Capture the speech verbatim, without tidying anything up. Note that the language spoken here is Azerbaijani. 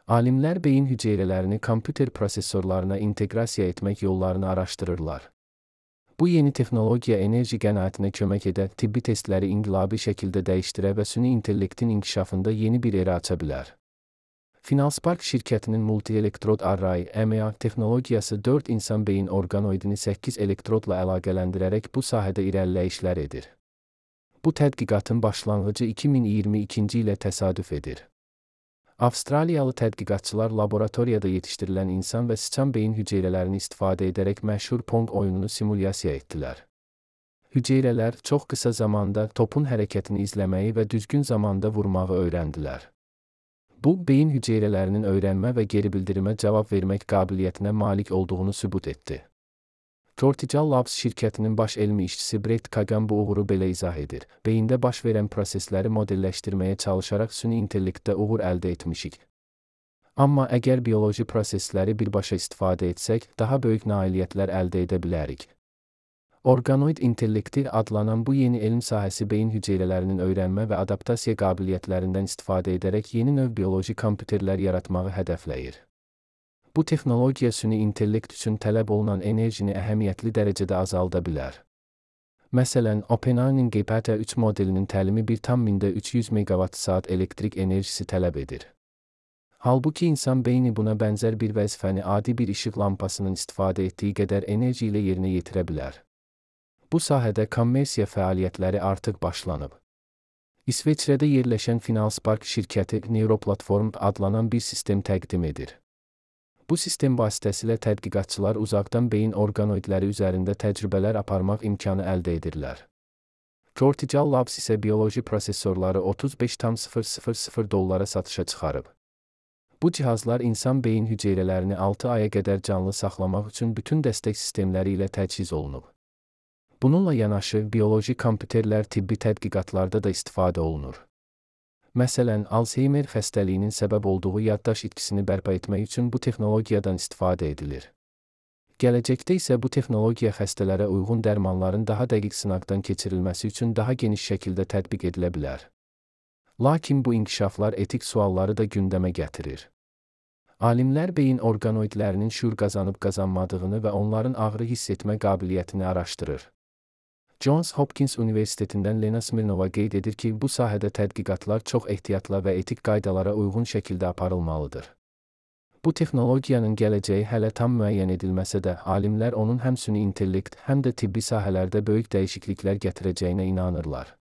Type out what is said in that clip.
Alimlər beyin hüceyrələrini kompüter prosesorlarına inteqrasiya etmək yollarını araşdırırlar. Bu yeni texnologiya enerji qənaətinə kömək edə, tibbi testləri inqilabi şəkildə dəyişdirə və süni intellektin inkişafında yeni bir era aça bilər. Finalspark şirkətinin multi-elektrod array (M E A) texnologiyası dörd insan beyin orqanoidini səkkiz elektrodla əlaqələndirərək bu sahədə irəliləyişlər edir. Bu tədqiqatın başlanğıcı iki min iyirmi ikinci ilə təsadüf edir. Avstraliyalı tədqiqatçılar laboratoriyada yetişdirilən insan və sıçan beyin hüceyrələrini istifadə edərək məşhur Pong oyununu simulyasiya etdilər. Hüceyrələr çox qısa zamanda topun hərəkətini izləməyi və düzgün zamanda vurmağı öyrəndilər. Bu, beyin hüceyrələrinin öyrənmə və geri bildirimə cavab vermək qabiliyyətinə malik olduğunu sübut etdi. Cortical Labs şirkətinin baş elmi işçisi Brett Kagan bu uğuru belə izah edir: Beyində baş verən prosesləri modelləşdirməyə çalışaraq süni intellektdə uğur əldə etmişik. Amma əgər bioloji prosesləri birbaşa istifadə etsək, daha böyük nailiyyətlər əldə edə bilərik. Orqanoid intellekti adlanan bu yeni elm sahəsi beyin hüceyrələrinin öyrənmə və adaptasiya qabiliyyətlərindən istifadə edərək yeni növ bioloji kompüterlər yaratmağı hədəfləyir. Bu texnologiya süni intellekt üçün tələb olunan enerjini əhəmiyyətli dərəcədə azalda bilər. Məsələn, OpenAI'nin G P T üç modelinin təlimi bir tam mində üç yüz meqavat saat elektrik enerjisi tələb edir. Halbuki insan beyni buna bənzər bir vəzifəni adi bir işıq lampasının istifadə etdiyi qədər enerji ilə yerinə yetirə bilər. Bu sahədə kommersiya fəaliyyətləri artıq başlanıb. İsveçrədə yerləşən Finalspark şirkəti Neuroplatform adlanan bir sistem təqdim edir. Bu sistem vasitəsilə tədqiqatçılar uzaqdan beyin orqanoidləri üzərində təcrübələr aparmaq imkanı əldə edirlər. Cortical Labs isə bioloji prosesorları otuz beş min dollara satışa çıxarıb. Bu cihazlar insan beyin hüceyrələrini altı aya qədər canlı saxlamaq üçün bütün dəstək sistemləri ilə təchiz olunub. Bununla yanaşı, bioloji kompüterlər tibbi tədqiqatlarda da istifadə olunur. Məsələn, Alzheimer xəstəliyinin səbəb olduğu yaddaş itkisini bərpa etmək üçün bu texnologiyadan istifadə edilir. Gələcəkdə isə bu texnologiya xəstələrə uyğun dərmanların daha dəqiq sınaqdan keçirilməsi üçün daha geniş şəkildə tətbiq edilə bilər. Lakin bu inkişaflar etik sualları da gündəmə gətirir. Alimlər beyin orqanoidlərinin şüur qazanıb qazanmadığını və onların ağrı hiss etmə qabiliyyətini araşdırır. Johns Hopkins Universitetindən Lena Smirnova qeyd edir ki, bu sahədə tədqiqatlar çox ehtiyatla və etik qaydalara uyğun şəkildə aparılmalıdır. Bu texnologiyanın gələcəyi hələ tam müəyyən edilməsə də, alimlər onun həm süni intellekt, həm də tibbi sahələrdə böyük dəyişikliklər gətirəcəyinə inanırlar.